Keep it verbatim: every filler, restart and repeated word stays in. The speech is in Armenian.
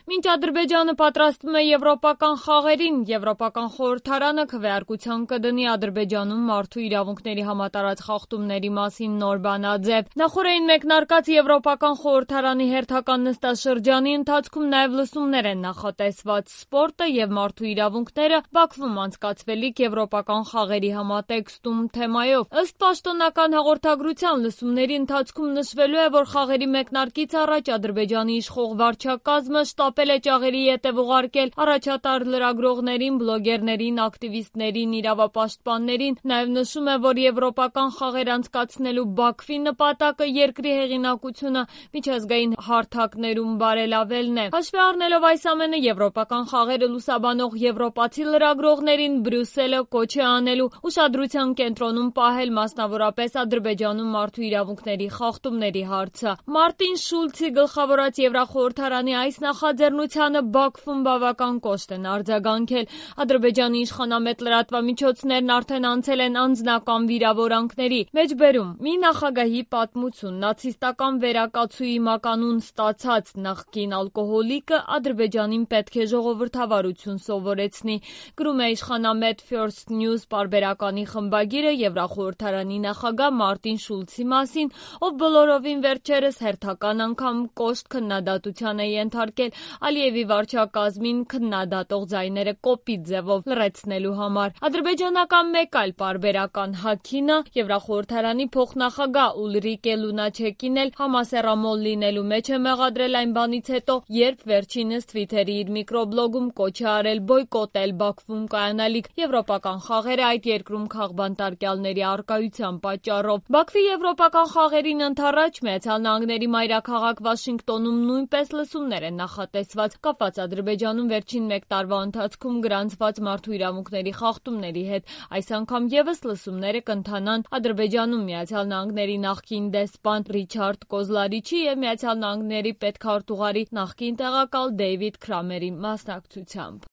Մինչ Ադրբեջանը պատրաստվում է եվրոպական խաղերին, Եվրոպական խորհրդարանը քվեարկության կդնի Ադրբեջանում մարդու իրավունքների համատարած խախտումների մասին նոր բանաձև։ Նախօրեին մեկնարկած Եվրոպական խորհրդարանի հերթական նստաշրջանի ընթացքում նաև լսումներ են նախատեսված։ Սպորտը եւ մարդու իրավունքները Բաքվում անցկացվելիք եվրոպական խաղերի համատեքստում թեմայով։ Ըստ պաշտոնական հաղորդագրության լսումների ընթացքում նշվելու է, որ խաղերի մեկնարկից առաջ Ադրբեջանի իշխող վարչակազմը շտապել է ճաղերի ետև ուղարկել առաջատար լրագրողներին, բլոգերներին, ակտիվիստներին, իրավապաշտպաններին։ Նաև նշում է, որ եվրոպական խաղեր անցկացնելու Բաքվի նպատակը երկրի հեղինակությունը միջազգային հարթակներում բարելավելն է։ Հաշվի առնելով այս ամենը, եվրոպական խաղերը լուսաբանող եվրոպացի լրագրողներին Բրյուսելը կոչ է անելու ուշադրության կենտրոնում պահել մասնավորապես Ադրբեջանում մարդու իրավունքների խախտումների հարցը։ Մարտին Շուլցի գլխավորած Եվրախորհրդարանի այս նախաձեռնությանը Բաքվում բավական կոշտ են արձագանքել։ Ադրբեջանի իշխանամետ լրատվամիջոցներն արդեն անցել են անձնական վիրավորանքների։ Մեջբերում մի նախագահի պատմություն, նացիստական վերակացուի մականուն ստացած նախկին ալկոհոլիկը Ադրբեջանին պետք է ժողովրդավարություն սովորեցնի, գրում է իշխանամետ First News պարբերականի խմբագիրը Եվրախորհրդարանի նախագահ Մարտին Շուլցի մասին, ով բոլորովին վերջերս հերթական անգամ կոշտ քննադատության է ենթարկել Ալիևի վարչակազմին քննադատող ձայները կոպիտ ձևով լռեցնելու համար։ Ադրբեջանական մեկ այլ պարբերական հագինը Եվրախորհրդարանի փոխնախագահ Ուլրիկե Լունաչեկին էլ համասեռամոլ լինելու մեջ է մեղադրել այն բանից հետո, երբ վերջինս Twitter-ի իր միկրոբլոգում կոչ է արել բոյկոտել Բաքվում կայանալիք եվրոպական խաղերը այդ երկրում քաղբանտարկյալների առկայության պատճառով։ Բաքվի եվրոպական խաղերին ընդառաջ Միացյալ Նահանգների մայրաքաղաք Վաշինգտոնում նույնպես լսումներ են նախատեսված կապված Ադրբեջանում վերջին մեկ տարվա ընթացքում գրանցված մարդու իրավունքների խախտումների հետ։ Այս անգամ ևս լսումները կընթանան Ադրբեջանում Միացյալ Նահանգների նախկին դեսպան Ռիչարդ Կոզլարիչի եւ Միացյալ Նահանգների պետքարտուղարի նախկին տեղակալ Դեյվիդ Քրամերի մասնակցությամբ։